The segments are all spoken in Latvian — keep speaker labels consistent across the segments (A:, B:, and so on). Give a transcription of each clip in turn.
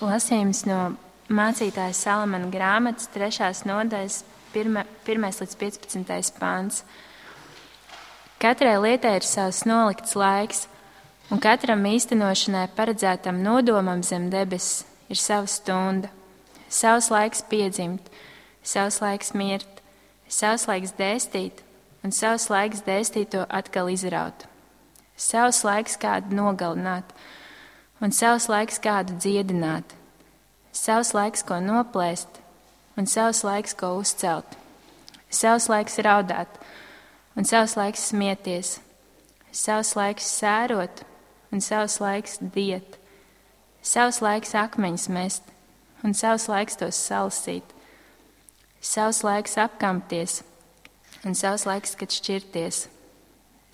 A: Lasījums no mācītāja Salamana grāmatas 3. nodaļas 1. līdz 15. pāns. Katrai lietai ir savs nolikts laiks, un katram īstenošanai paredzētam nodomam zem debesis ir sava stunda. Savs laiks piedzimt, savs laiks mirt, savs laiks dēstīt, un savs laiks dēstīto atkal izraut. Savs laiks kādu nogalināt, un savs laiks kādu dziedināt. Savs laiks, ko noplēst, un savs laiks, ko uzcelt. Savs laiks raudāt, un savs laiks smieties. Savs laiks sērot, un savs laiks diet. Savs laiks akmeņus mest, un savs laiks tos salasīt. Savs laiks apkampties, un savs laiks, kad šķirties.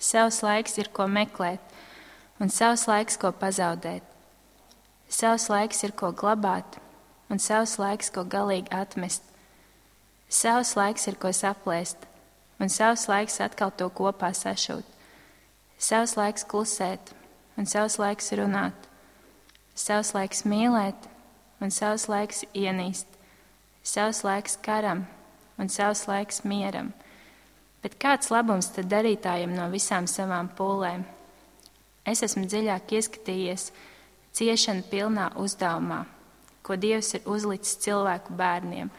A: Savs laiks ir, ko meklēt, un savs laiks, ko pazaudēt. Savs laiks ir, ko glabāt, un savs laiks, ko galīgi atmest. Savs laiks ir, ko saplēst, un savs laiks atkal to kopā sašūt. Savs laiks klusēt, un savs laiks runāt. Savs laiks mīlēt, un savs laiks ienīst. Savs laiks karam, un savs laiks mieram. Bet kāds labums tad darītājiem no visām savām pūlēm? Es esmu dziļāk ieskatījies ciešanu pilnā uzdevumā, ko Dievs ir uzlicis cilvēku bērniem,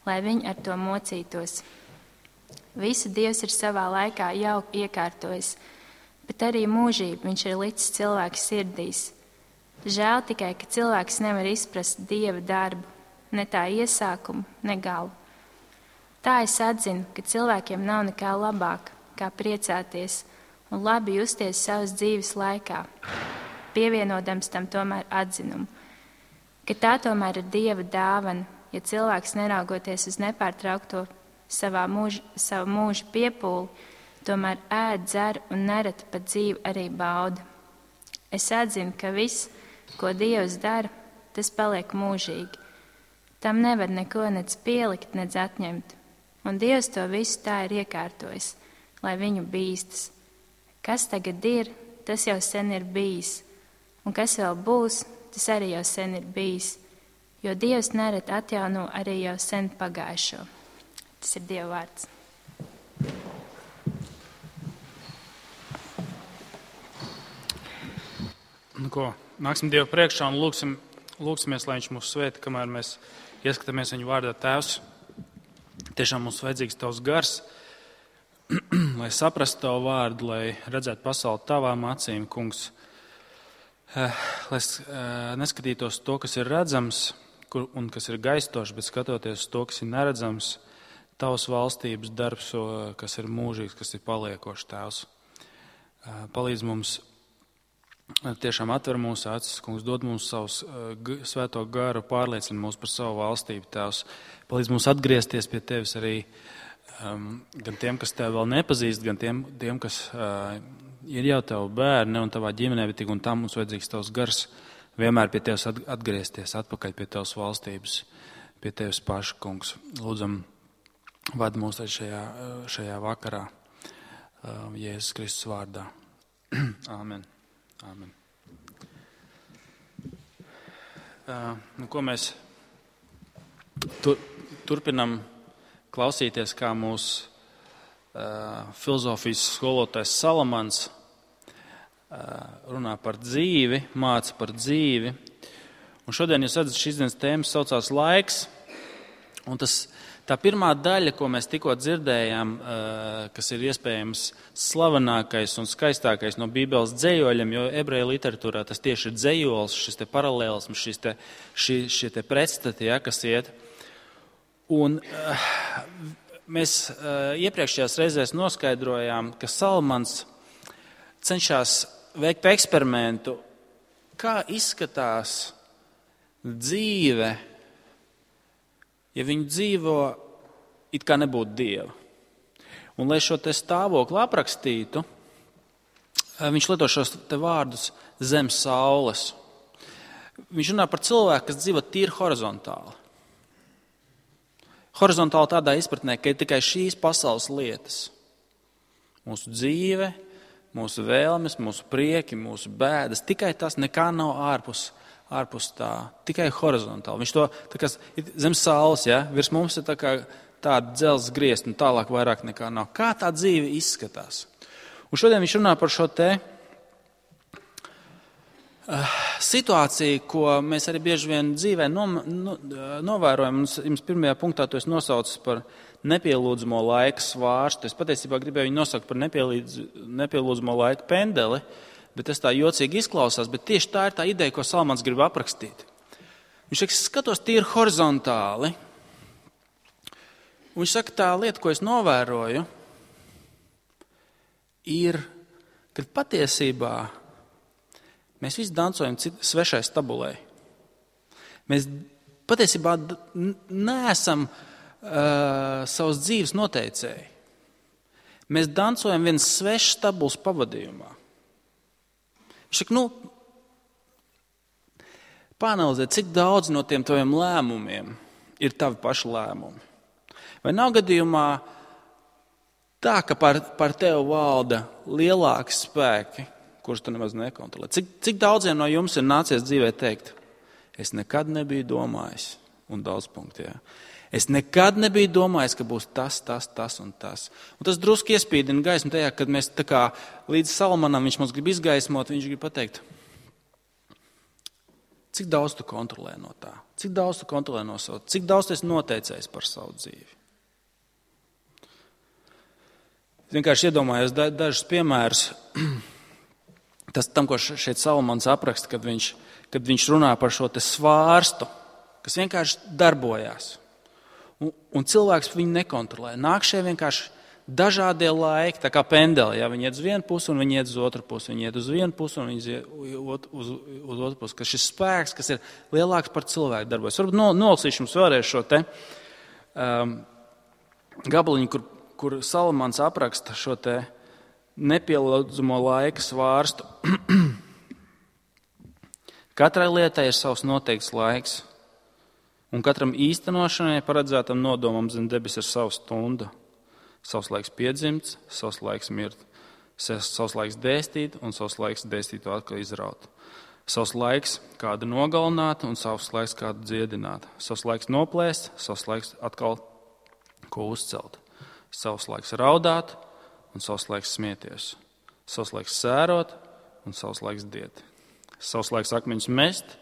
A: lai viņi ar to mocītos. Visu Dievs ir savā laikā jau iekārtojis, bet arī mūžību viņš ir licis cilvēku sirdīs. Žēl tikai, ka cilvēks nevar izprast Dieva darbu, ne tā iesākumu, ne galu. Tā es atzinu, ka cilvēkiem nav nekā labāk, kā priecāties un labi justies savas dzīves laikā, pievienodams tam tomēr atzinumu, ka tā tomēr ir Dieva dāvana, ja cilvēks neraugoties uz nepārtraukto savu mūžu piepūli, tomēr ēd, dzer un nereti pat dzīvi arī bauda. Es atzinu, ka viss, ko Dievs dara, tas paliek mūžīgi. Tam nevar neko nec pielikt, nec atņemt, un Dievs to visu tā ir iekārtojis, lai viņu bīstas. Kas tagad ir, tas jau sen ir bijis, un kas vēl būs, tas arī jau sen ir bijis, jo Dievs nereti atjauno arī jau sen pagājušo. Tas ir Dieva vārds.
B: Nu ko, nāksim Dievu priekšā un lūksimies, lai viņš mūs svētī, kamēr mēs ieskatāmies viņu vārdā. Tēvs, tiešām mums vajadzīgs tavs gars, lai saprastu tavu vārdu, lai redzētu pasauli tavām acīm, kungs. Lai neskatītos to, kas ir redzams un kas ir gaistošs, bet skatoties to, kas ir neredzams, tavas valstības darbs, kas ir mūžīgs, kas ir paliekošs, Tēvs. Palīdz mums, tiešām atver mūsu acis, kungs, dod mums savus svēto garu, pārliecina mūs par savu valstību, Tēvs. Palīdz mums atgriezties pie tevis arī gan tiem, kas tevi vēl nepazīst, gan tiem kas ir jau tavu bērni un tavā ģimenē, bet tik un tam mums vajadzīgs tavs gars vienmēr pie tevis atgriezties, atpakaļ pie tavas valstības, pie tevis paša, kungs. Lūdzam, vadi mūs šajā vakarā, Jēzus Kristus vārdā. Āmen. Āmen. Ko mēs turpinam klausīties, kā mūsu filozofijas skolotājs Salamans runā par dzīvi, māca par dzīvi. Un šodien, jūs redzat, šīs dienas tēmas saucās laiks. Un tā pirmā daļa, ko mēs tikko dzirdējām, kas ir iespējams slavenākais un skaistākais no Bībeles dzejoļiem, jo ebreju literatūrā tas tieši ir dzejols, šis te paralēlisms, šie te pretstati, kas iet. Un mēs iepriekšējās reizēs noskaidrojām, ka Salamans cenšas veikt eksperimentu, kā izskatās dzīve, ja viņi dzīvo it kā nebūtu Dieva. Un, lai šo te stāvokli aprakstītu, viņš lieto šos te vārdus zem saules. Viņš runā par cilvēku, kas dzīvo tīri horizontāli. Horizontāli tādā izpratnē, ka ir tikai šīs pasaules lietas. Mūsu dzīve, mūsu vēlmes, mūsu prieki, mūsu bēdas. Tikai tas nekā nav ārpus tā, tikai horizontāli. Viņš to tā kā zem saules, ja? Virs mums ir tā kā tāda dzelzs griezta un tālāk vairāk nekā nav. Kā tā dzīve izskatās? Un šodien viņš runā par šo te situāciju, ko mēs arī bieži vien dzīvē novērojam. Jums pirmajā punktā to es nosaucu par nepielūdzamo laika svārstu. Es patiesībā gribēju viņu nosaukt par nepielūdzamo laika pendeli, bet tas tā jocīgi izklausās, bet tieši tā ir tā ideja, ko Salmans grib aprakstīt. Viņš saka, skatos tīri horizontāli, un viņš saka, tā lieta, ko es novēroju, ir, kad patiesībā mēs visi dancojam svešai stabulei. Mēs patiesībā neesam savas dzīves noteicēji. Mēs dancojam viens svešs stabuls pavadījumā. Viņš saka, pāanalizē, cik daudz no tiem taviem lēmumiem ir tavi paši lēmumi. Vai nav gadījumā tā, ka par tevi valda lielāki spēki, kurus tu nemaz nekontrolē? Cik daudziem no jums ir nācies dzīvē teikt, es nekad nebiju domājis, un daudz punktu, jā. Es nekad nebiju domājis, ka būs tas un tas. Un tas drusku iespīdina gaismu tajā, kad mēs tā kā līdz Salmanam viņš mums grib izgaismot, viņš grib pateikt, cik daudz tu kontrolē no tā, cik daudz tu kontrolē no savu, cik daudz tu esi noteicējis par savu dzīvi. Es vienkārši iedomājos dažus piemērus tam, ko šeit Salmans apraksta, kad viņš runā par šo te svārstu, kas vienkārši darbojās. Un cilvēks viņu nekontrolē. Nāk šie vienkārši dažādie laiki, tā kā pendeli. Ja? Viņi iet uz vienu pusi un viņi iet uz otru pusi. Viņi iet uz vienu pusi un viņi iet uz otru pusi. Ka šis spēks, kas ir lielāks par cilvēku darbojas. Varbūt nolasīšu jums vēlreiz šo te gabaliņu, kur Salmans apraksta šo te nepielūdzamo laika svārstu. Katrai lietai ir savs noteikts laiks, un katram īstenošanai paredzētam nodomam zem debes ir sava stunda. Savs laiks piedzimts, savs laiks mirt, savs laiks dēstīt un savs laiks dēstītu atkal izraut. Savs laiks kādu nogalināt un savs laiks kādu dziedināt. Savs laiks noplēst, savs laiks atkal ko uzcelt. Savs laiks raudāt un savs laiks smieties. Savs laiks sērot un savs laiks diet. Savs laiks akmeņus mest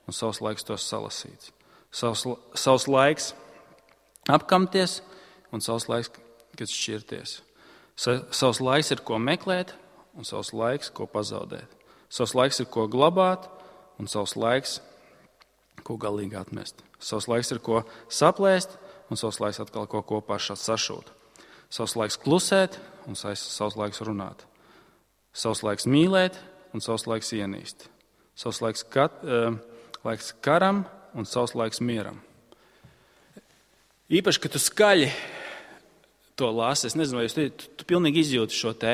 B: un savs laiks tos salasīt. Savs laiks apkamties un savs laiks, kad šķirties. Savs laiks ir, ko meklēt un savs laiks, ko pazaudēt. Savs laiks ir, ko glabāt un savs laiks, ko galīgi atmest. Savs laiks ir, ko saplēst un savs laiks atkal ko kopā sašūt. Savs laiks klusēt un savs laiks runāt. Savs laiks mīlēt un savs laiks ienīst. Savs laiks karam un savs laiks mieram. Īpaši, ka tu skaļi to lasi, es nezinu, vai tu pilnīgi izjūti šo te,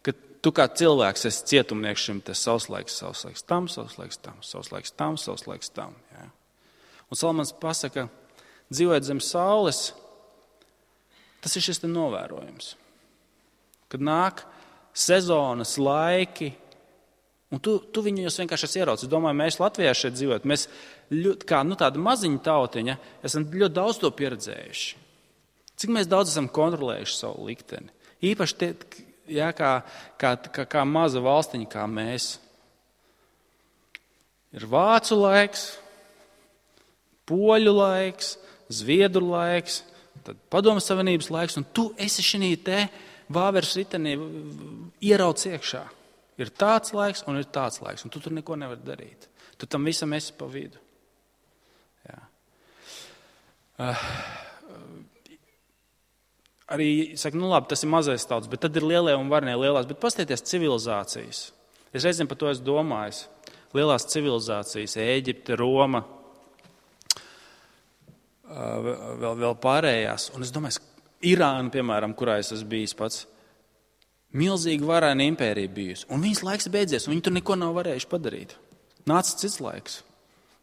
B: ka tu kā cilvēks esi cietumnieks šim te savs laiks tam, savs laiks tam, savs laiks tam, savs laiks tam. Ja? Un Salmans pasaka, dzīvojot zem saules, tas ir šis te novērojums. Kad nāk sezonas laiki, un tu viņus vienkārši esi ieraudzis. Es domāju, mēs Latvijā šeit dzīvojam, mēs kā tāda maziņa tautiņa, esam ļoti daudz to pieredzējuši. Cik mēs daudz esam kontrolējuši savu likteni. Īpaši tie, jā, kā maza valstiņa, kā mēs. Ir vācu laiks, poļu laiks, zviedru laiks, tad Padomju Savienības laiks, un tu esi šī te vāveres ritenī ierauc iekšā. Ir tāds laiks un ir tāds laiks, un tu tur neko nevari darīt. Tu tam visam esi pa vidu. Jā. Arī, saka, labi, tas ir mazais tauts, bet tad ir lielie un varnie lielās. Bet pastieties civilizācijas. Es reizēm par to esmu domājis. Lielās civilizācijas, Ēģipte, Roma, vēl pārējās. Un es domāju, Irāna, piemēram, kurā es esmu bijis pats, milzīgi varēna impērija bijusi. Un viņas laiks beidzies, un viņi tur neko nav varējuši padarīt. Nāca cits laiks.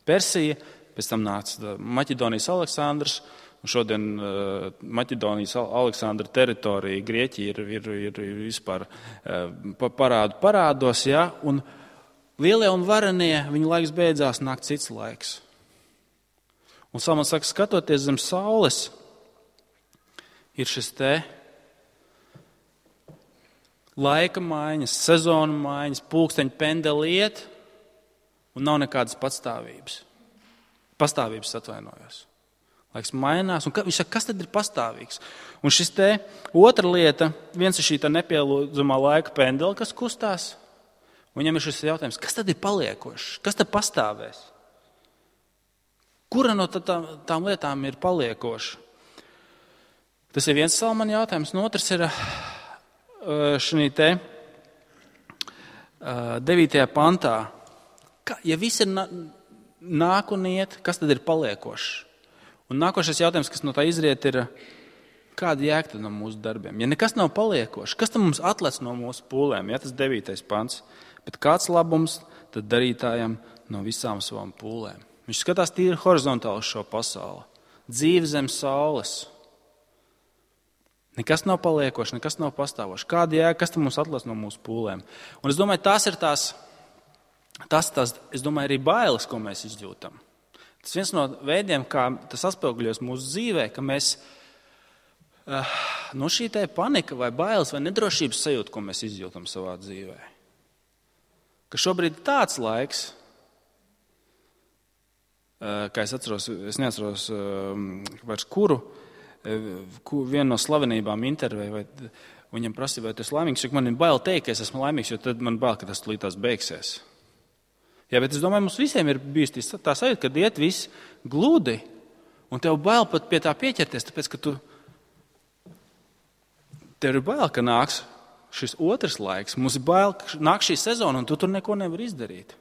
B: Persija, pēc tam nāca Maķedonijas Aleksandrs, Šodien Maķedonijas Aleksandra teritorija, Grieķija ir vispār parādos, ja? Un lielie un varenie, viņu laiks beidzās, nāk cits laiks. Un Salmans saka, skatoties zem saules, ir šis te laika maiņas, sezonu maiņas, pulksteņu pendeli iet, un nav nekādas patstāvības. Pastāvības atvainojos. Laiks mainās, un viņš saka, kas tad ir pastāvīgs? Un šis te otra lieta, viens ir šī tā nepielūdzamā laika pendela, kas kustās, un viņam ir šis jautājums, kas tad ir paliekošs? Kas tad pastāvēs? Kura no tām lietām ir paliekoša? Tas ir viens Salmana jautājums, un otrs ir šī te 9. pantā. Ja viss ir nāk un iet, kas tad ir paliekošs? Un nākošais jautājums, kas no tā izriet, ir, kāda jēga no mūsu darbiem? Ja nekas nav paliekošs, kas tad mums atlec no mūsu pūlēm? Ja tas 9. pants. Bet kāds labums tad darītājam no visām savām pūlēm? Viņš skatās tīri horizontāli uz šo pasauli. Dzīve zem saules. Nekas nav paliekošs, nekas nav pastāvošs. Kāda jēga, kas tad mums atlec no mūsu pūlēm? Un es domāju, tās ir es domāju, arī bailes, ko mēs izjūtam. Tas viens no veidiem, kā tas atspoguļojas mūsu dzīvē, ka mēs no šī te panika vai bailes vai nedrošības sajūta, ko mēs izjūtam savā dzīvē. Ka šobrīd ir tāds laiks, kā es neatceros vairs kuru, vienu no slavenībām intervēju, vai viņam prasīja, vai tu esi laimīgs, jo man ir bail teikt, ka es esmu laimīgs, jo tad man bail, ka tas līdz beigsies. Jā, bet es domāju, mums visiem ir bijusi tā sajūta, ka iet viss gludi, un tev bail pat pie tā pieķerties, tāpēc, ka tev ir bail, ka nāks šis otrs laiks, mums ir bail, ka nāk šī sezona, un tu tur neko nevar izdarīt.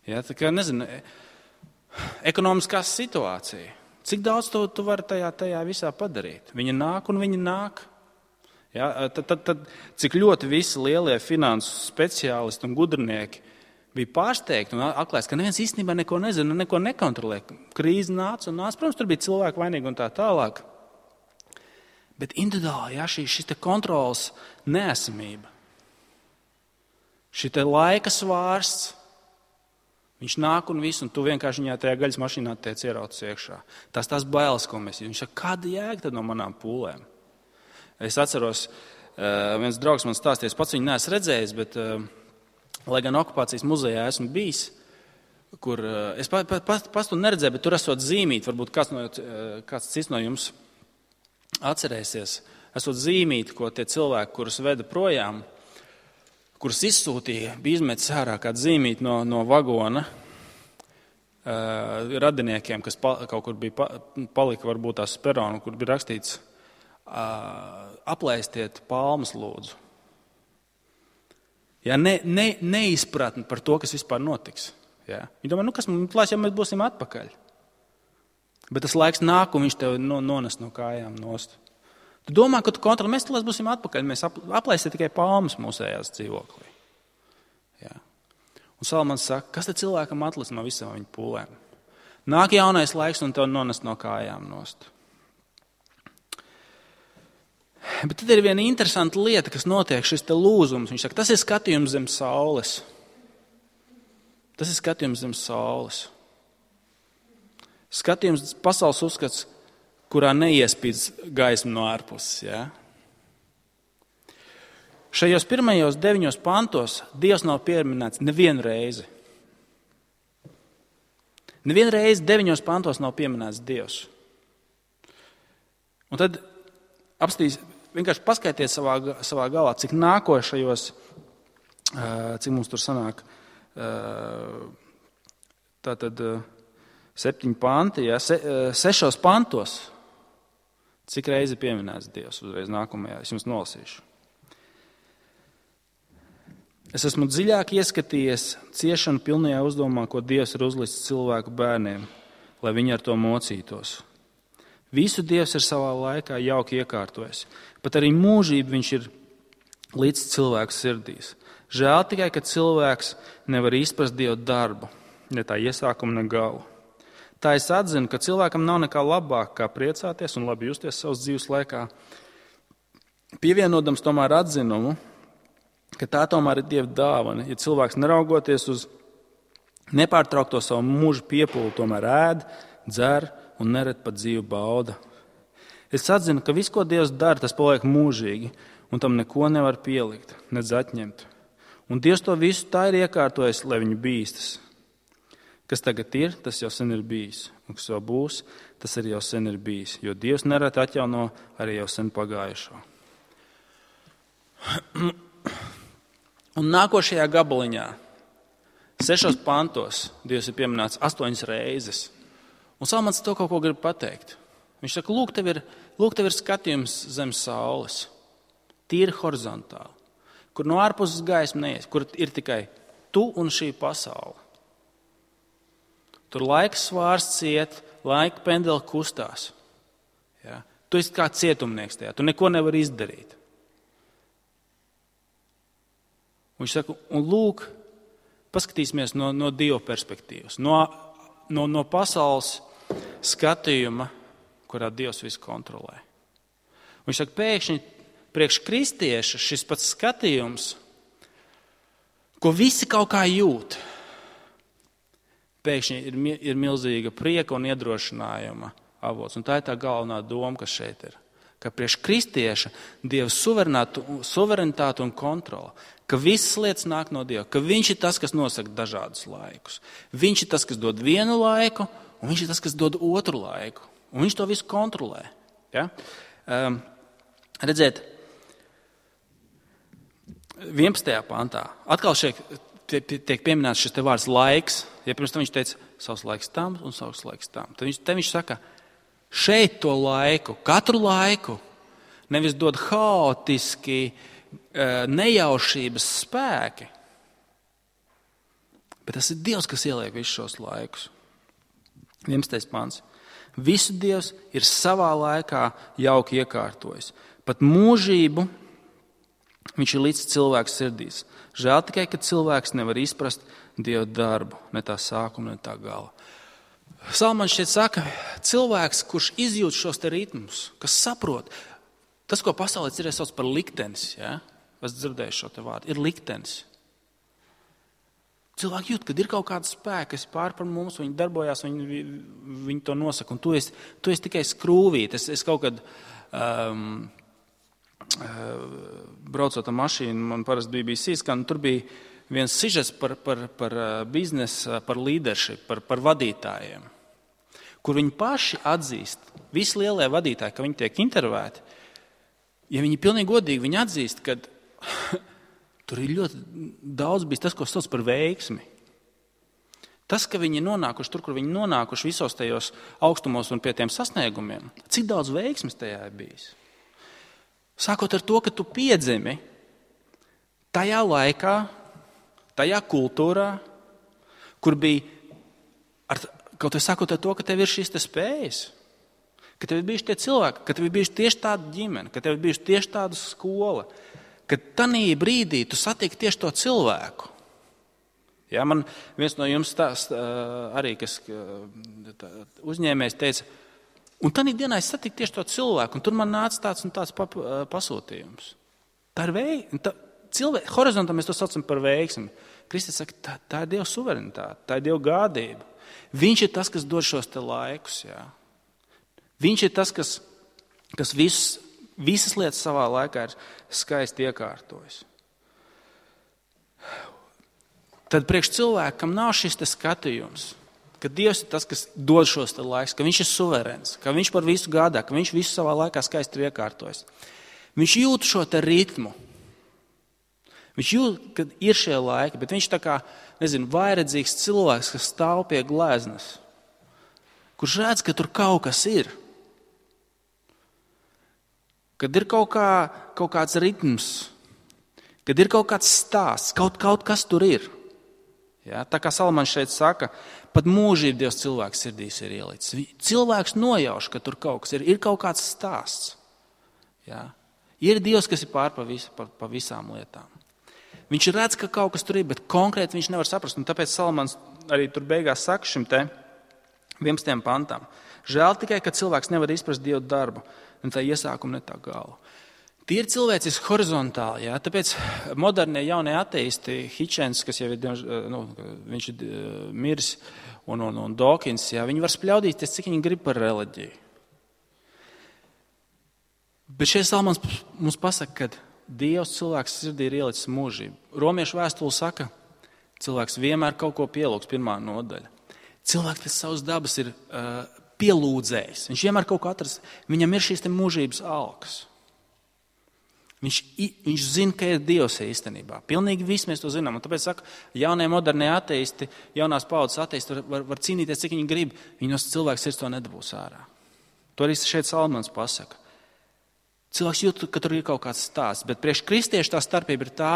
B: Jā, tā kā, nezinu, ekonomiskā situācija. Cik daudz tu vari tajā visā padarīt? Viņa nāk un viņa nāk. Jā, tad cik ļoti visi lielie finansu speciālisti un gudrinieki bija pārsteigti un atklājis, ka neviens īstenībā neko nezina, neko nekontrolē. Krīze nāca un nāca. Protams, tur bija cilvēki vainīgi un tā tālāk. Bet individuāli, jā, šis te kontrols neesamība, šī te laika svārsts, viņš nāk un viss, un tu vienkārši viņā tajā gaļas mašīnā tiec ierauts iekšā. Tās bailes, ko mēs izjūtam. Viņš saka, kāda jēga tad no manām pūlēm? Es atceros, viens draugs man stāstīja, es pats viņu neesmu redzējis, bet, lai gan okupācijas muzejā esmu bijis, kur es pats to neredzēju, bet tur esot zīmīti, varbūt kāds cits no jums atcerēsies, esot zīmīti, ko tie cilvēki, kurus veda projām, kurus izsūtīja, bija izmetis ārā kādu zīmīti no vagona radiniekiem, kas kaut kur bija palika varbūt tās peronu, kur bija rakstīts aplēstiet palmas lūdzu. Ja, neizpratni par to, kas vispār notiks. Ja. Viņi domā, kas mums klās, ja mēs būsim atpakaļ. Bet tas laiks nāk, un viņš tev nones no kājām nost. Tu domā, ka tu kontroli, mēs tulēs būsim atpakaļ, mēs aplēsim tikai palmas mūsējās dzīvoklī. Ja. Un Salmans saka, kas tad cilvēkam atlic no visām viņa pūlēm? Nāk jaunais laiks, un tev nones no kājām nost. Bet tad ir viena interesanta lieta, kas notiek, šis te lūzums. Viņš saka, tas ir skatījums zem saules. Tas ir skatījums zem saules. Skatījums pasaules uzskats, kurā neiespīd gaismu no ārpuses. Ja? Šajos pirmajos 9 pantos Dievs nav pieminēts nevienu reizi. Nevienu reizi 9 pantos nav pieminēts Dievs. Un tad vienkārši paskaitiet savā galā, cik nākošajos, cik mums tur sanāk, tātad 7 panti, ja, 6 pantos, cik reizi pieminēts Dievs uzreiz nākamajā, es jums nolasīšu. Es esmu dziļāk ieskatījies ciešanu pilnajā uzdomā, ko Dievs ir uzlicis cilvēku bērniem, lai viņi ar to mocītos. Visu Dievs ir savā laikā jauki iekārtojis, pat arī mūžību viņš ir līdz cilvēku sirdīs. Žēl tikai, ka cilvēks nevar izprast Dievu darbu, ne tā iesākumu, ne galu. Tā es atzinu, ka cilvēkam nav nekā labāk, kā priecāties un labi justies savas dzīves laikā. Pievienodams tomēr atzinumu, ka tā tomēr ir Dieva dāvana, ja cilvēks neraugoties uz nepārtraukto savu mūžu piepūli, tomēr ēd, dzer un nered pat dzīvu bauda. Es atzinu, ka viss, ko Dievs dara, tas paliek mūžīgi, un tam neko nevar pielikt, nedz atņemt. Un Dievs to visu tā ir iekārtojis, lai viņu bīstas. Kas tagad ir, tas jau sen ir bijis, un kas vēl būs, tas arī jau sen ir bijis, jo Dievs nereti atjauno arī jau sen pagājušo. Un nākošajā gabaliņā, 6 pantos, Dievs ir pieminēts 8 reizes. Un Salmans to kaut ko grib pateikt. Viņš saka, lūk, tev ir skatījums zem saules, tīri horizontāli, kur no ārpuses gaisma neies, kur ir tikai tu un šī pasaule. Tur laika svārsts iet, laika pendeli kustās. Ja? Tu esi kā cietumnieks tajā, tu neko nevari izdarīt. Un viņš saka, un lūk, paskatīsimies no Dieva perspektīvas, no pasaules skatījuma, kurā Dievs visu kontrolē. Un viņš saka, pēkšņi priekš kristieša šis pats skatījums, ko visi kaut kā jūt, pēkšņi ir milzīga prieka un iedrošinājuma avots. Un tā ir tā galvenā doma, kas šeit ir. Ka priekš kristieša Dieva suverenitāte un kontrola, ka visas lietas nāk no Dieva, ka viņš ir tas, kas nosaka dažādus laikus. Viņš ir tas, kas dod vienu laiku, un viņš ir tas, kas dod otru laiku. Un viņš to visu kontrolē. Ja? Redziet, 11. pantā atkal šeit tiek pieminēts šis te vārds laiks. Ja pirms tam viņš teica, savs laiks tam un savs laiks tam. Tad viņš saka, šeit to laiku, katru laiku, nevis dod haotiski, nejaušības spēki, bet tas ir Dievs, kas ieliek visus šos laikus. 11. pants. Visu Dievs ir savā laikā jauki iekārtojis. Pat mūžību viņš ir līdz cilvēku sirdīs. Žēl tikai, ka cilvēks nevar izprast Dieva darbu, ne tā sākuma, ne tā gala. Salmans šeit saka, cilvēks, kurš izjūt šos te ritmus, kas saprot, tas, ko pasaulē sauc par liktenis, ja? Es dzirdēju šo te vārdu, ir liktenis. Cilvēki jūt, kad ir kaut kāda spēka, kas pār par mums, viņi darbojās, viņi to nosaka, un tu esi tikai skrūvīt. Es kaut kad braucot ar mašīnu, man parasti bija BBC skan, tur bija viens sižets par biznesu, par leadership, par vadītājiem, kur viņi paši atzīst, visi lielie vadītāji, ka viņi tiek intervēti, ja viņi pilnīgi godīgi, viņi atzīst, ka tur ir ļoti daudz bijis tas, ko sauc par veiksmi. Tas, ka viņi ir nonākuši tur, kur viņi nonākuši visos tajos augstumos un pie tiem sasniegumiem, cik daudz veiksmes tajā ir bijis. Sākot ar to, ka tu piedzimi tajā laikā, tajā kultūrā, kur bija, kaut vai sākot ar to, ka tev ir šīs te spējas, ka tev ir bijuši tie cilvēki, ka tev ir bijuši tieši tāda ģimene, ka tev ir bijuši tieši tāda skola, ka tanī brīdī tu satiki tieši to cilvēku. Ja, man viens no jums arī, kas uzņēmējs teica, un tanī dienā es satiku tieši to cilvēku, un tur man nāca tāds un tāds pasūtījums. Tā ir horizontā mēs to saucam par veiksmi. Kristus saka, tā ir Dieva suverenitāte, tā ir Dieva gādība. Viņš ir tas, kas dod šos te laikus. Jā. Viņš ir tas, kas visas lietas savā laikā ir skaisti iekārtojis. Tad priekš cilvēkam nav šis te skatījums, ka Dievs ir tas, kas dod šos te laikus, ka viņš ir suverēns, ka viņš par visu gādā, ka viņš visu savā laikā skaisti ir iekārtojis. Viņš jūt šo te ritmu. Viņš jūt, ka ir šie laiki, bet viņš tā kā, vairedzīgs cilvēks, kas stāv pie gleznas, kurš redz, ka tur kaut kas ir. Kad ir kaut kāds ritms, kad ir kaut kāds stāsts, kaut kas tur ir. Ja, tā kā Salmans šeit saka, pat mūžību Dievs cilvēks sirdīs ir ielicis. Cilvēks nojauš, ka tur kaut kas ir kaut kāds stāsts. Ja. Ir Dievs, kas ir pār pa visām lietām. Viņš redz, ka kaut kas tur ir, bet konkrēti viņš nevar saprast. Un tāpēc Salmans arī tur beigās saka šim te 11. pantam. Žēl tikai, ka cilvēks nevar izprast Dievu darbu, ne tā iesākumu, ne tā galu. Tie ir cilvēciski horizontāli, jā, tāpēc modernie jaunie ateisti, Hitchens, kas jau ir, viņš ir miris, un Dawkins, jā, viņi var spļaudīties, cik viņi grib par reliģiju. Bet šeit Salmans mums pasaka, ka Dievs cilvēks sirdī ir ielicis mūžību. Romiešu vēstule saka, cilvēks vienmēr kaut ko pielūgs, 1. nodaļa. Cilvēks pēc savas dabas ir pielūdzējs. Viņš vienmēr kaut ko atrast. Viņam ir šīs te mūžības alkas. Viņš zina, ka ir Dievs īstenībā. Pilnīgi visi mēs to zinām. Un tāpēc saka, jaunie modernie ateisti, jaunās paudzes ateisti var cīnīties, cik viņi grib. Viņi no cilvēks sirds to nedabūs ārā. To arī šeit Salmans pasaka. Cilvēks jūt, ka tur ir kaut kāds stāsts, bet priekš kristiešu tā starpība ir tā,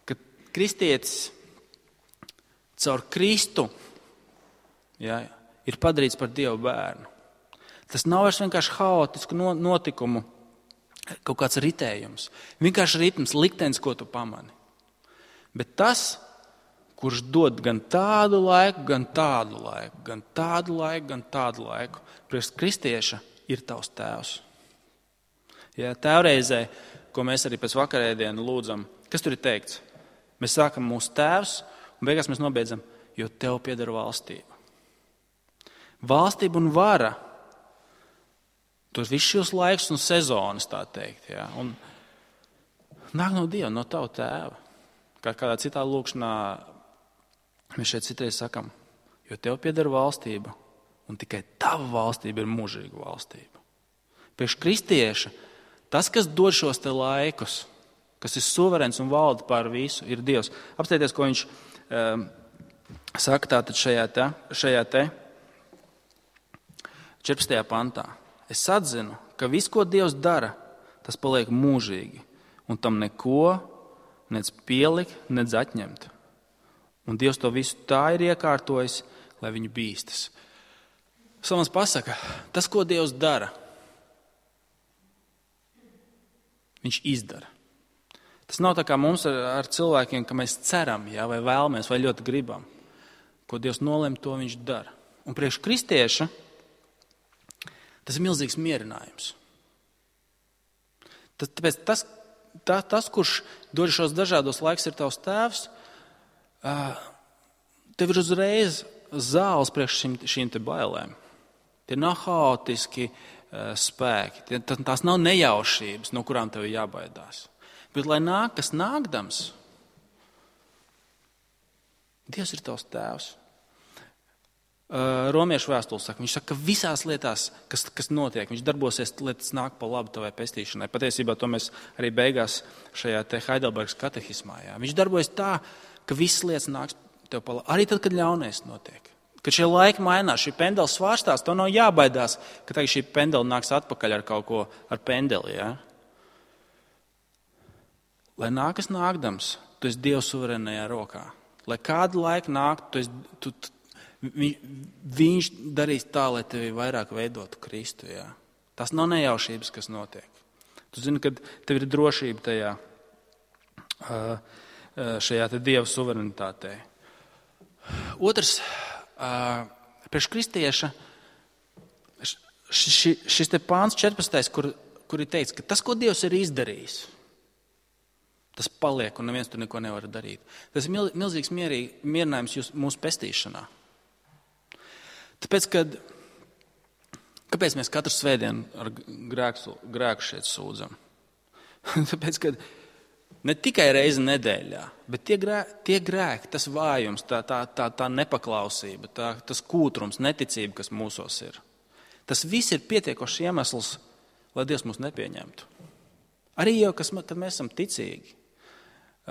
B: ka kristietis caur Kristu, jā, ir padarīts par Dieva bērnu. Tas nav vairs vienkārši haotisku notikumu, kaut kāds ritējums. Vienkārši ritms, liktenis, ko tu pamani. Bet tas, kurš dod gan tādu laiku, gan tādu laiku, gan tādu laiku, gan tādu laiku, priekš kristieša ir tavs tēvs. Ja, tēvreizē, ko mēs arī pēc vakarēdienu lūdzam, kas tur ir teikts? Mēs sākam mūsu tēvs un beigās mēs nobeidzam, jo tev pieder valstība. Valstība un vara, tos visus šos laikus un sezonas, tā teikt. Ja, un nāk no Dieva, no tava tēva. Kādā citā lūkšanā mēs šeit citreiz sakam, jo tev pieder valstība un tikai tava valstība ir mūžīga valstība. Priekš kristieša tas, kas dod šos te laikus, kas ir suverēns un valda pār visu, ir Dievs. Apstājieties, ko viņš saka tātad šajā te 14. pantā. Es atzinu, ka viss, ko Dievs dara, tas paliek mūžīgi, un tam neko nec pielikt, nec atņemt. Un Dievs to visu tā ir iekārtojis, lai viņu bīstas. Salmans pasaka, tas, ko Dievs dara, viņš izdara. Tas nav tā kā mums ar cilvēkiem, ka mēs ceram, jā, vai vēlamies, vai ļoti gribam. Ko Dievs nolem, to viņš dara. Un priekš kristieša tas ir milzīgs mierinājums. Tāpēc tas, kurš dod šos dažādos laikus, ir tavs tēvs, tev ir uzreiz zāles priekš šīm te bailēm. Tie nav haotiski spēki. Tās nav nejaušības, no kurām tev ir jābaidās. Bet, lai nāk, kas nākdams, Dievs ir tavs tēvs. Romiešu vēstule saka, viņš saka, ka visās lietās, kas notiek, viņš darbosies, lai tas nāk pa labu tavai pestīšanai. Patiesībā to mēs arī beigās šajā te Heidelbergas katehismā. Jā. Viņš darbojas tā, ka visas lietas nāks tev pa labu. Arī tad, kad ļaunais notiek. Kad šie laiki mainās, šī pendela svārstās, to nav jābaidās, ka tagad šī pendela nāks atpakaļ ar kaut ko, ar pendeli. Ja? Lai nākas nākdams, tu esi Dieva suverēnajā rokā. Lai kādu laiku nāk, viņš darīs tā, lai tevi vairāk veidotu Kristu. Ja? Tas nav nejaušības, kas notiek. Tu zini, ka tev ir drošība tajā, šajā te Dieva suverenitātē. Otrs, priekš kristieša šis te pāns 14. kur ir teikts, ka tas, ko Dievs ir izdarījis, tas paliek un neviens tur neko nevar darīt. Tas ir milzīgs mierinājums mūsu pestīšanā. Tāpēc, kāpēc mēs katru svētdienu ar grēku šeit sūdzam? Tāpēc, ka ne tikai reizi nedēļā, bet tie grēki, tas vājums, tā nepaklausība, tas kūtrums, neticība, kas mūsos ir. Tas viss ir pietiekošs iemesls, lai Dievs mūs nepieņemtu. Arī jau, kad mēs esam ticīgi.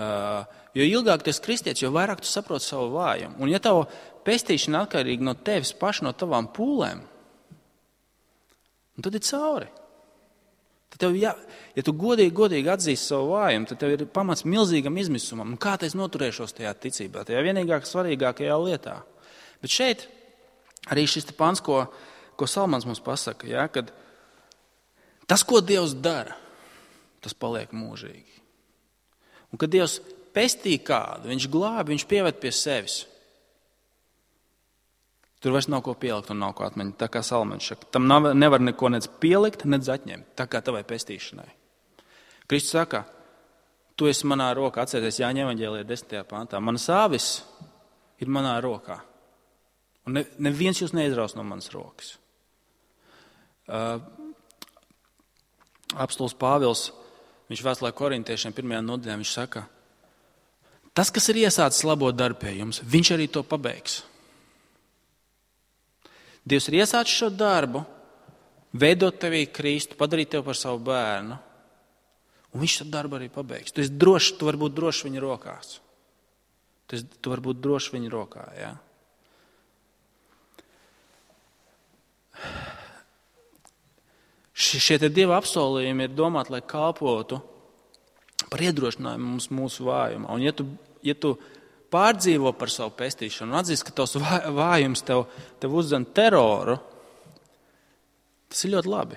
B: Jo ilgāk tu esi kristietis, jo vairāk tu saproti savu vājumu. Un ja tava pestīšana atkarīga no tevis paša, no tavām pūlēm, tad ir cauri. Tad tev, ja tu godīgi atzīsti savu vājumu, tad tev ir pamats milzīgam izmisumam. Un kā es noturēšos tajā ticībā, tajā vienīgāk svarīgākajā lietā. Bet šeit arī šis pants, ko Salmans mums pasaka, ja, kad tas, ko Dievs dara, tas paliek mūžīgi. Un kad Dievs pestī kādu, viņš glābi, viņš pieved pie sevis. Tur vairs nav ko pielikt un nav ko atmeņot. Tā kā Salamans saka, tam nevar neko nec pielikt, nec atņemt. Tā kā tavai pestīšanai. Kristus saka, tu esi manā rokā. Atcerieties Jāņa evaņģēlijā 10. pantā. Manas āvis ir manā rokā. Un neviens jūs neizraus no manas rokas. Apostols Pāvils, viņš vēstulē korintiešiem 1. nodaļā, viņš saka, tas, kas ir iesācis labo darbu pie jums, viņš arī to pabeigs. Dievs ir iesācis šo darbu, veidot tevī Kristu, padarīt tevi par savu bērnu, un viņš šo darbu arī pabeigs. Tu vari būt drošs viņa rokās. Tu vari būt drošs viņa rokā, jā. Šie te Dieva apsolījumi ir domāti, lai kalpotu par iedrošinājumu mūsu vājumā. Un ja tu pārdzīvo par savu pestīšanu un atzīst, ka tavs vājums tev uzdzen teroru, tas ir ļoti labi.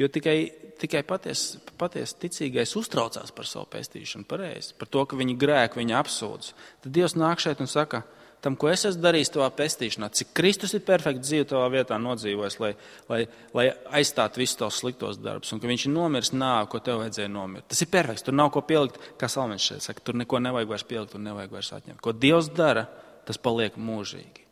B: Jo tikai paties ticīgais uztraucās par savu pestīšanu, pareizi, par to, ka viņi grēku, viņi apsūdz. Tad Dievs nāk šeit un saka, tam, ko es esmu darījis tavā pestīšanā, cik Kristus ir perfekti dzīvi tavā vietā nodzīvojis, lai aizstātu visus tavus sliktos darbus, un ka viņš ir nomiris nāvi, ko tev vajadzēja nomirt. Tas ir perfekts, tur nav ko pielikt, kā Salamans šeit saka, tur neko nevajag vairs pielikt un nevajag vairs atņemt. Ko Dievs dara, tas paliek mūžīgi.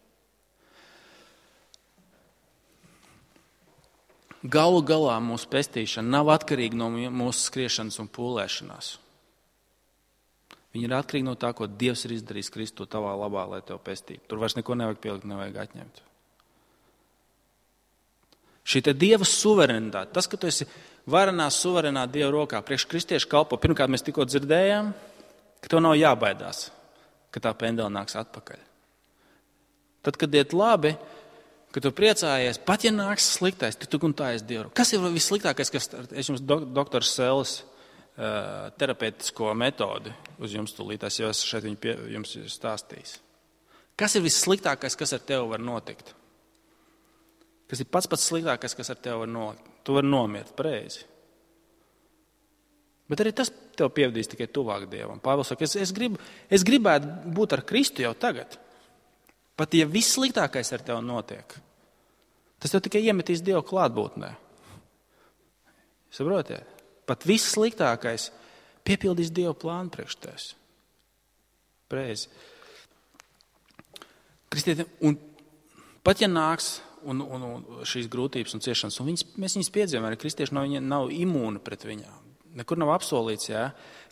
B: Galu galā mūsu pestīšana nav atkarīga no mūsu skriešanas un pūlēšanās. Viņi ir atkarīgi no tā, ko Dievs ir izdarījis Kristu tavā labā, lai tev pestītu. Tur vairs neko nevajag pielikt, nevajag atņemt. Šī te Dieva suverenitāte, tas, ka tu esi varenā, suverenā Dieva rokā, priekš kristiešu kalpo, pirmkārt mēs tikko dzirdējām, ka tev nav jābaidās, ka tā pendela nāks atpakaļ. Tad, kad iet labi, kad tu priecājies, pat ja nāks sliktais, tu un tā esi Dieva rokā. Kas ir vissliktākais, kas es jums doktors Sēles terapeitisko metodi uz jums tūlītās, jo es šeit viņu jums stāstījis. Kas ir vissliktākais, kas ar tevi var notikt? Kas ir pats sliktākais, kas ar tevi var notikt? Tu vari nomirt, pareizi. Bet arī tas tev pievedīs tikai tuvāk Dievam. Pāvils saka, es gribētu būt ar Kristu jau tagad. Pat ja vissliktākais ar tevi notiek, tas tev tikai iemetīs Dievu klātbūtnē. Saprotiet? Pat viss sliktākais piepildīs Dieva plānu priekš tevis. Pareizi. Kristieti, un pat ja nāks un šīs grūtības un ciešanas, un mēs viņas piedzīvojam, arī kristieši nav imūni pret viņām. Nekur nav apsolīts,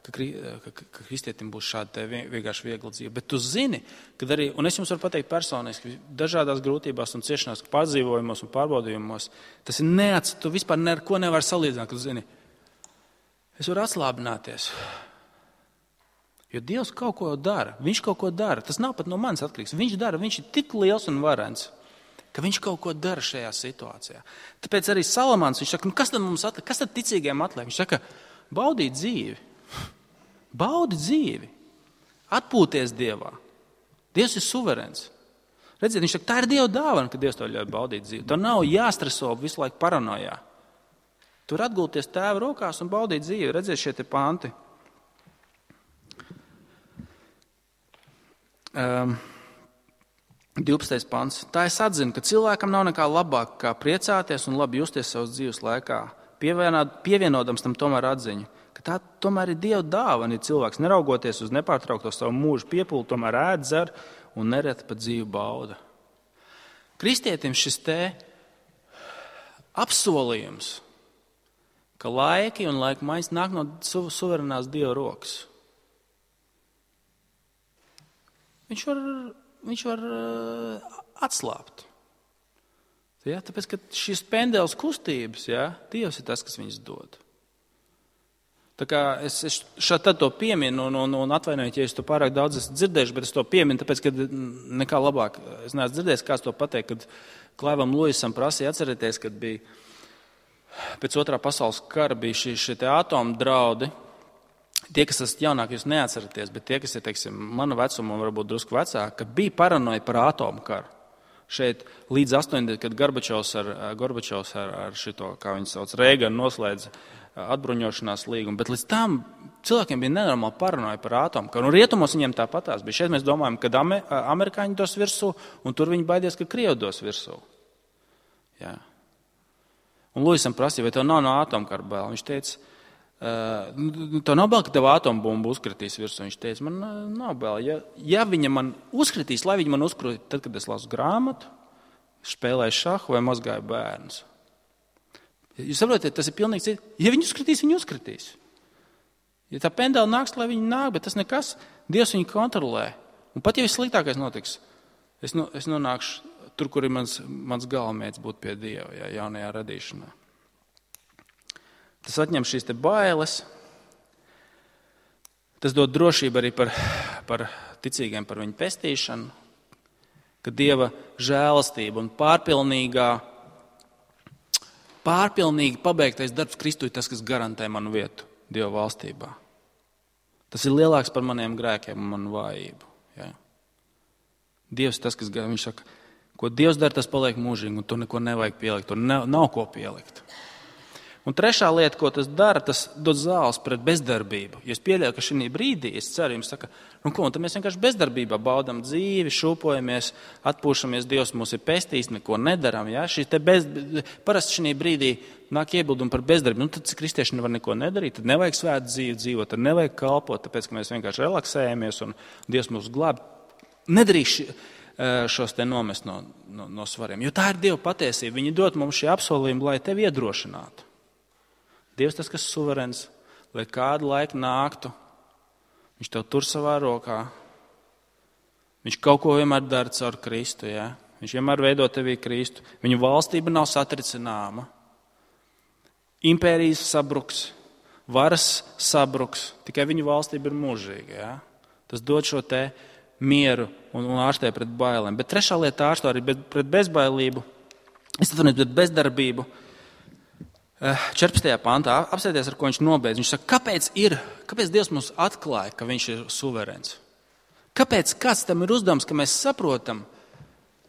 B: ka kristietim būs šāda vienkārši viegla dzīve. Bet tu zini, kad arī, un es jums varu pateikt personiski, dažādās grūtībās un ciešanās, pārdzīvojumos un pārbaudījumos, tas ir tu vispār neko nevar salīdzināt, kad tu zini, es varu atslābināties. Jo Dievs kaut ko dara. Viņš kaut ko dara. Tas nav pat no manis atkarīgs. Viņš dara. Viņš ir tik liels un varens, ka viņš kaut ko dara šajā situācijā. Tāpēc arī Salamans, viņš saka, kas tad mums atliek? Kas tad ticīgiem atliek? Viņš saka, baudīt dzīvi. Baudi dzīvi. Atpūties Dievā. Dievs ir suverens. Redziet, viņš saka, tā ir Dieva dāvana, ka Dievs to ļauj baudīt dzīvi. Tev nav jāstreso visu laiku paranojā. Tur atgulties Tēva rokās un baudīt dzīvi. Redziet, šie te panti. 12. pants. Tā es atzinu, ka cilvēkam nav nekā labāk, kā priecāties un labi justies savas dzīves laikā, pievienodams tam tomēr atziņu, ka tā tomēr ir Dieva dāvana, ja cilvēks neraugoties uz nepārtraukto savu mūžu piepūli, tomēr ēd, dzer un nereti pat dzīvu bauda. Kristietim šis te apsolījums, ka laiki un laika maiņas nāk no suverenās Dieva rokas. Viņš var atslābt. Ja, tāpēc, ka šīs pendeles kustības, Dievs ir tas, kas viņas dod. Tā kā es šādi to pieminu un atvainojiet, ja es to pārāk daudz esmu dzirdējuši, bet es to pieminu, tāpēc, ka nekā labāk es neesmu dzirdējis, kāds to pateikt, kad Klaivam Luisam prasīja atcerēties, kad bija pēc otrā pasaules kara bija šie te atomu draudi. Tie, kas esat jaunāki, jūs neatceraties, bet tie, kas ir, teiksim, mana vecuma un varbūt drusku vecāki, ka bija paranoja par atomu karu. šeit līdz 80, kad Gorbačovs ar šito, kā viņi sauc, Reiganu noslēdz atbruņošanās līgumu, bet līdz tam cilvēkiem bija nenormāli paranoja par atomkaru. Un rietumos viņiem tāpatās bija. Šeit mēs domājam, kad amerikāņi dos virsū, un tur viņi baidies, ka Krievi dos virsū. Jā. Un Luisam prasīja, vai tev nav no atomkara bail? Viņš teica, tev nav bail, ka tev atombumbu uzkritīs virsū. Viņš teica, man nav bail. Ja viņa man uzkritīs, lai viņa man uzkritīs, tad, kad es lasu grāmatu, spēlēju šahu vai mazgāju bērnus. Jūs saprotiet, tas ir pilnīgi cits. Ja viņi uzkritīs, viņi uzkritīs. Ja tā pendela nāks, lai viņi nāk, bet tas nekas, Dievs viņu kontrolē. Un pat ja viss sliktākais notiks, es nonākšu tur, kur ir mans galamērķis būt pie Dieva, jaunajā radīšanā. Tas atņem šīs te bailes. Tas dod drošību arī par ticīgiem, par viņu pestīšanu, ka Dieva žēlastība un pārpilnīgi pabeigtais darbs Kristū ir tas, kas garantē manu vietu Dieva valstībā. Tas ir lielāks par maniem grēkiem un manu vājību. Ja? Dievs ir tas, kas viņš saka, ko Dievs dara, tas paliek mūžīgi, un tur neko nevajag pielikt, tur nav ko pielikt. Un trešā lieta, ko tas dara, tas dod zāles pret bezdarbību. Ja es pieļauju, ka šī brīdī, es ceru, jums saka, tad mēs vienkārši bezdarbībā baudam dzīvi, šūpojamies, atpūšamies, Dievs mūs ir pestījis, neko nedaram. Ja? Parasti šī brīdī nāk iebildumi par bezdarbību. Tad kristieši nevar neko nedarīt, tad nevajag svētu dzīvi dzīvot, tad nevajag kalpot, tāpēc, ka mēs vienkārši relaksējamies un Dievs mūs glāb. Nedarīšu šos te nomest no svariem, jo tā ir Dieva patiesība. Viņi dod mums šī apsolījuma, lai tevi iedrošinātu. Dievs tas, kas suverēns, lai kādu laiku nāktu, viņš tev tur savā rokā. Viņš kaut ko vienmēr dara caur Kristu. Ja? Viņš vienmēr veido tevī Kristu. Viņa valstība nav satricināma. Impērijas sabruks, varas sabruks, tikai viņa valstība ir mūžīga. Ja? Tas dod šo te mieru un ārstē pret bailēm. Bet trešā lieta ārstē arī pret bezbailību. Es atvainojos pret bezdarbību. 14. pantā apsēties, ar ko viņš nobeidz. Viņš saka, kāpēc Dievs mums atklāja, ka viņš ir suverēns? Kāds tam ir uzdevums, ka mēs saprotam,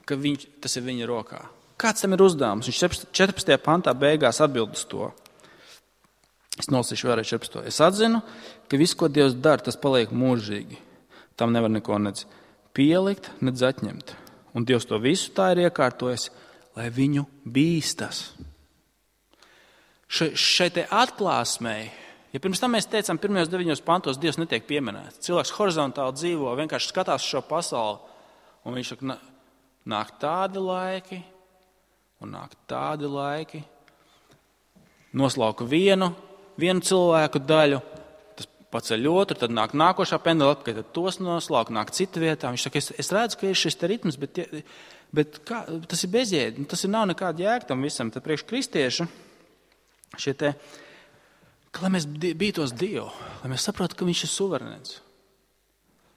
B: ka tas ir viņa rokā? Kāds tam ir uzdevums? Viņš 14. pantā beigās atbild uz to. Es nolasīšu vēlreiz 14. Es atzinu, ka viss, ko Dievs dara, tas paliek mūžīgi. Tam nevar neko nec pielikt, nec atņemt. Un Dievs to visu tā ir iekārtojis, lai viņu bīstas. Šai te atklāsmei, ja pirms tam mēs teicām, pirmajos 9 pantos Dievs netiek pieminēts. Cilvēks horizontāli dzīvo, vienkārši skatās šo pasauli, un viņš saka, nāk tādi laiki, un nāk tādi laiki. Noslauka vienu cilvēku daļu, tas paceļ otru, tad nāk nākošā pendula atpakaļ, tad tos noslauka, nāk cita vietā. Viņš saka, es redzu, ka ir šis te ritms, bet tas ir bezjēdzi, tas nav nekāda jēga tam visam. Tad priekš kristiešu lai mēs bītos Dievu, lai mēs saprotu, ka viņš ir suverēns,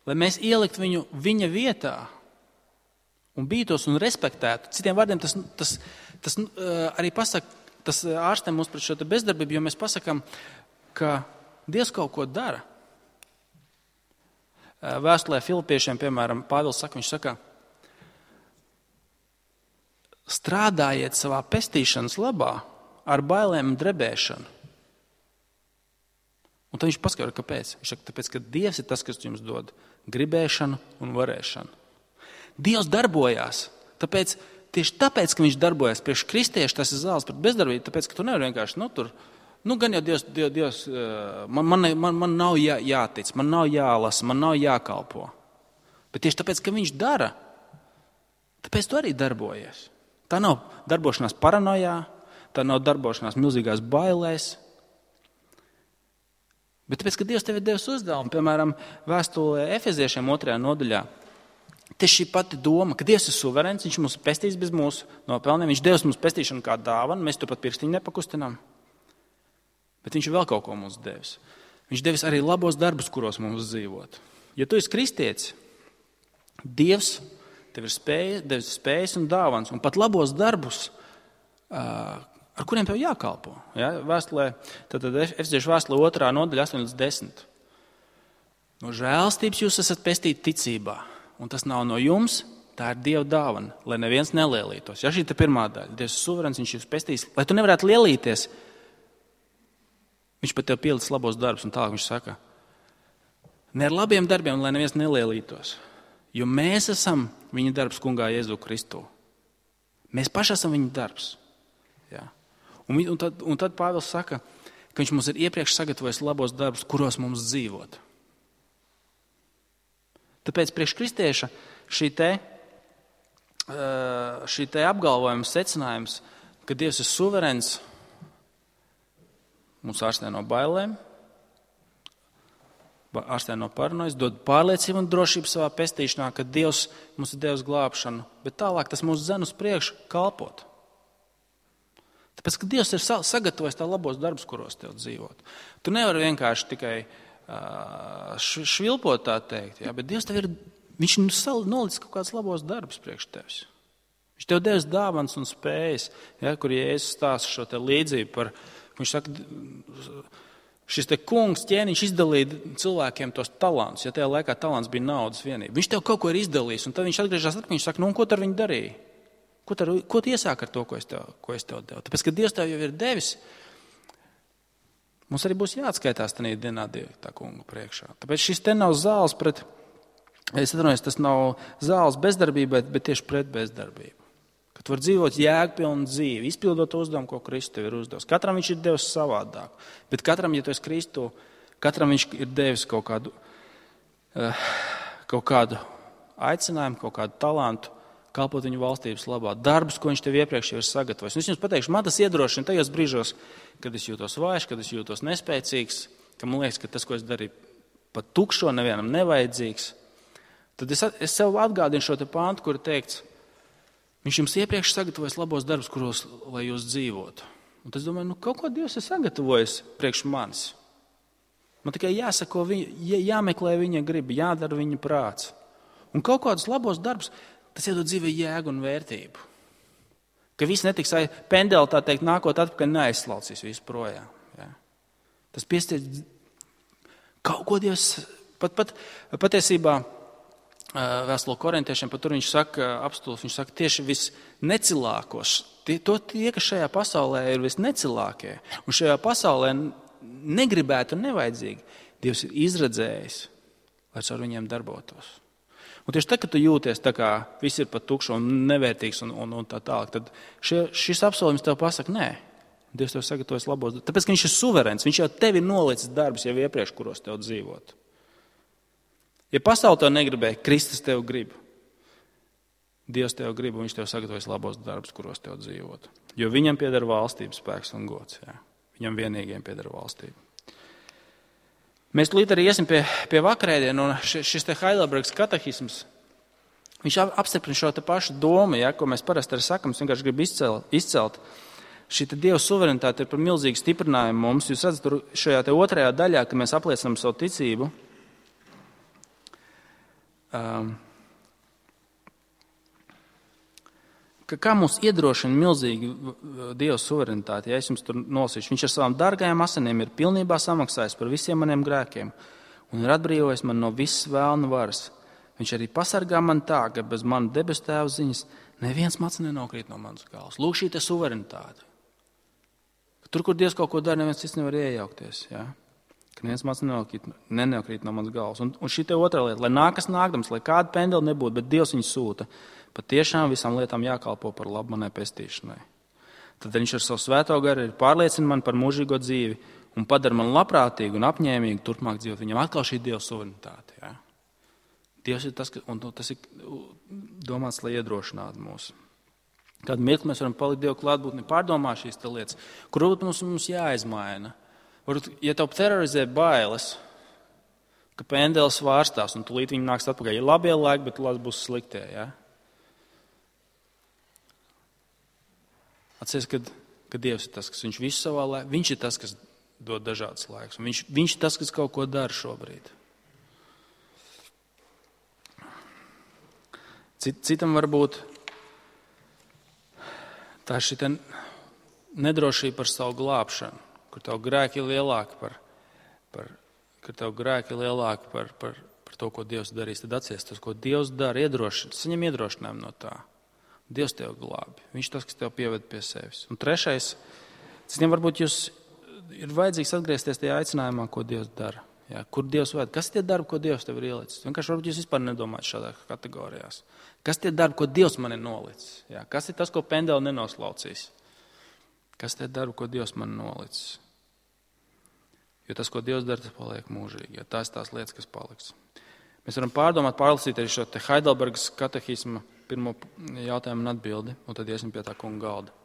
B: lai mēs ielikt viņu viņa vietā un bītos un respektētu. Citiem vārdiem tas arī pasaka, tas ārstē mūs pret šo bezdarbību, jo mēs pasakām, ka Dievs kaut ko dara. Vēstulē Filipiešiem, piemēram, Pāvils saka, viņš saka, strādājiet savā pestīšanas labā, ar bailēm un drebēšanu. Un tad viņš paskaidro, kāpēc. Viņš saka, tāpēc, ka Dievs ir tas, kas jums dod gribēšanu un varēšanu. Dievs darbojās. Tieši tāpēc, ka viņš darbojas priekš kristiešu, tas ir zāles pret bezdarbību, tāpēc, ka tu nevari vienkārši, gan jau Dievs man nav jātic, man nav jālasa, man nav jākalpo. Bet tieši tāpēc, ka viņš dara, tāpēc tu arī darbojies. Tā nav darbošanās paranojā, tā nav darbošanās milzīgās bailēs. Bet tāpēc, ka Dievs tev ir devis uzdevumu, piemēram, vēstulē Efeziešiem 2. nodaļā, te šī pati doma, ka Dievs ir suverēns, viņš mums pestīs bez mūsu nopelniem, viņš devis mums pestīšanu kā dāvanu, mēs turpat pirkstiņu nepakustinām. Bet viņš vēl kaut ko mums devis. Viņš devis arī labos darbus, kuros mums dzīvot. Ja tu esi kristietis, Dievs tev ir devis spējas un dāvans, un pat labos darbus, ar kuriem tev jākalpo. Ja? Tad Efeziešu vēstulē 2. nodaļa 8-10. No žēlstības jūs esat pestīti ticībā, un tas nav no jums, Tā ir Dieva dāvana, lai neviens nelielītos. Ja šī ir pirmā daļa, Dievs ir suverēns, viņš ir pestījis, lai tu nevarētu lielīties. Viņš pat tev pielicis labos darbus, un tālāk viņš saka, ne ar labiem darbiem, lai neviens nelielītos, jo mēs esam viņa darbs kungā Jēzu Kristu. Mēs paši esam viņa darbs. Ja? Un tad Pāvils saka, ka viņš mums ir iepriekš sagatavojis labos darbus, kuros mums dzīvot. Tāpēc priekš kristieša šī te apgalvojuma secinājums, ka Dievs ir suverēns, mums ārstē no bailēm, ārstē no paranojas, dod pārliecību un drošību savā pestīšanā, ka Dievs mums ir devis glābšanu, bet tālāk tas mūs dzen uz priekšu kalpot. Tāpēc, ka Dievs ir sagatavojis tā labos darbus, kuros tev dzīvot. Tu nevari vienkārši tikai švilpot tā teikt, ja, bet Dievs tev viņš nolicis kaut kāds labos darbus priekš tevis. Viņš tev devis dāvans un spējas, ja, kur Jēzus stāsta šo te līdzību par, viņš saka, šis te kungs ķēniņš izdalīja cilvēkiem tos talantus, ja tajā laikā talants bija naudas vienība. Viņš tev kaut ko ir izdalījis, un tad viņš atgriežas atpakaļ, viņš saka, un ko tu ar viņu darīji? Ko tu iesāki ar to, ko es tev devu? Tāpēc, ka Dievs tev jau ir devis, mums arī būs jāatskaitās tajā dienā Dieva tā kunga priekšā. Tāpēc šis te nav zāles pret, es atvainojos, tas nav zāles bezdarbībai, bet tieši pret bezdarbību. Ka tu vari dzīvot jēgpilnu dzīvi, izpildot uzdevumu, ko Kristus tev ir uzdevis. Katram viņš ir devis savādāk, bet katram, ja tu esi Kristu, katram viņš ir devis kaut kādu aicinājumu, kaut kādu talantu, kalpot viņu valstības labā, darbus, ko viņš tev iepriekš jau ir sagatavojis. Es jums pateikšu, man tas iedrošina tajos brīžos, kad es jūtos vājš, kad es jūtos nespēcīgs, ka man liekas, ka tas, ko es darīju, pat tukšo, nevienam nevajadzīgs. Tad es sev atgādinu šo te pāntu, kur teikts, viņš jums iepriekš sagatavojas labos darbus, kuros, lai jūs dzīvotu. Un es domāju, kaut ko Dievs ir sagatavojis priekš manis. Man tikai jāsako, jāmeklē viņa griba, jādara viņa prāts. Un kaut kādus labos darbus, tas iedod dzīvē jēgu un vērtību. Ka viss netiks pendeli, tā teikt, nākot atpakaļ neaizslaucīs visu projām. Ja? Tas piestiedz kaut ko Dievs, patiesībā vēstule korintiešiem, pat tur viņš saka, apstults, viņš saka, tieši visnecilākos, tie, kas šajā pasaulē ir visnecilākie, un šajā pasaulē negribētu un nevajadzīgi, Dievs ir izredzējis, lai ar viņiem darbotos. Un tieši tad, kad tu jūties tā kā viss ir pat tukšs un nevērtīgs un tā tālāk, tad šis apsolījums tev pasaka, nē, Dievs tev sagatavojas labos darbus. Tāpēc, ka viņš ir suverēns, viņš jau tevi nolicis darbus jau iepriekš, kuros tev dzīvot. Ja pasaule tev negribēja, Kristus tev grib. Dievs tev grib, un viņš tev sagatavojas labos darbus, kuros tev dzīvot. Jo viņam pieder valstības spēks un gods. Jā. Viņam vienīgiem pieder valstība. Mēs līdz arī iesim pie vakarēdienu, un šis te Heidelbergas katehisms, viņš apstiprina šo te pašu domu, ja, ko mēs parasti arī sakam, es vienkārši gribu izcelt. Šī te Dieva suverenitāte ir par milzīgu stiprinājumu mums. Jūs redzat, tur šajā te otrajā daļā, kad mēs apliecinām savu ticību, kā mums iedrošina milzīgi Dieva suverenitāte, ja es jums tur nolasīšu. Viņš ar savām dārgajām asinīm ir pilnībā samaksājis par visiem maniem grēkiem un ir atbrīvojis man no visas vēlna varas. Viņš arī pasargā man tā, ka bez mana debesu tēva ziņas neviens mats nenokrīt no manas galvas. Lūk, šī te suverenitāte. Tur, kur Dievs kaut ko dara, neviens cits nevar iejaukties. Ja? Ka neviens mats nenokrīt no manas galvas. Un šī te otrā lieta, lai nākas nākdams, lai kāda pendela nebūtu, bet Dievs viņu sūta. Pat tiešām visām lietām jākalpo par labu manai pestīšanai. Tad viņš ar savu svēto garu ir pārliecina man par mūžīgo dzīvi un padara man labprātīgu un apņēmīgu turpmāk dzīvot. Viņam atkal šī Dieva suverenitāte. Ja? Dievs ir tas, un tas ir domāts, lai iedrošinātu mūs. Kādu mirkli mēs varam palikt Dieva klātbūtni, pārdomāt šīs lietas, kur mums jāizmaina. Ja tev terorizē bailes, ka pendelis vārstās un tūlīt viņi nāks atpakaļ, ir labie laiki, bet tūlīt būs sliktie. Ja? Atceries, ka Dievs ir tas, kas viņš visu savā laikā, viņš ir tas, kas dod dažādas laikus, un viņš ir tas, kas kaut ko dara šobrīd. Citam varbūt tā ir šī nedrošība par savu glābšanu, kur tev grēki ir lielāki par to, ko Dievs darīs, tad atcies tas, ko Dievs dara, saņem iedrošinājumu no tā. Dievs tev glābi. Viņš tas, kas tev pieved pie sevis. Un trešais, varbūt jūs ir vajadzīgs atgriezties tajā aicinājumā, ko Dievs dara. Jā, kur Dievs vada? Kas tie darbi, ko Dievs tev ir ielicis? Vienkārši varbūt jūs vispār nedomājat šādā kategorijās. Kas tie darbi, ko Dievs man ir nolicis? Jā, kas ir tas, ko pendeli nenoslaucīs? Kas tie darbi, ko Dievs man ir nolicis? Jo tas, ko Dievs dara, tas paliek mūžīgi. Ja tās lietas, kas paliks. Mēs varam pārlasīt arī šo te Heidelbergas katehisma pirmo jautājumu un atbildi, un tad iesim pie tā kunga galda.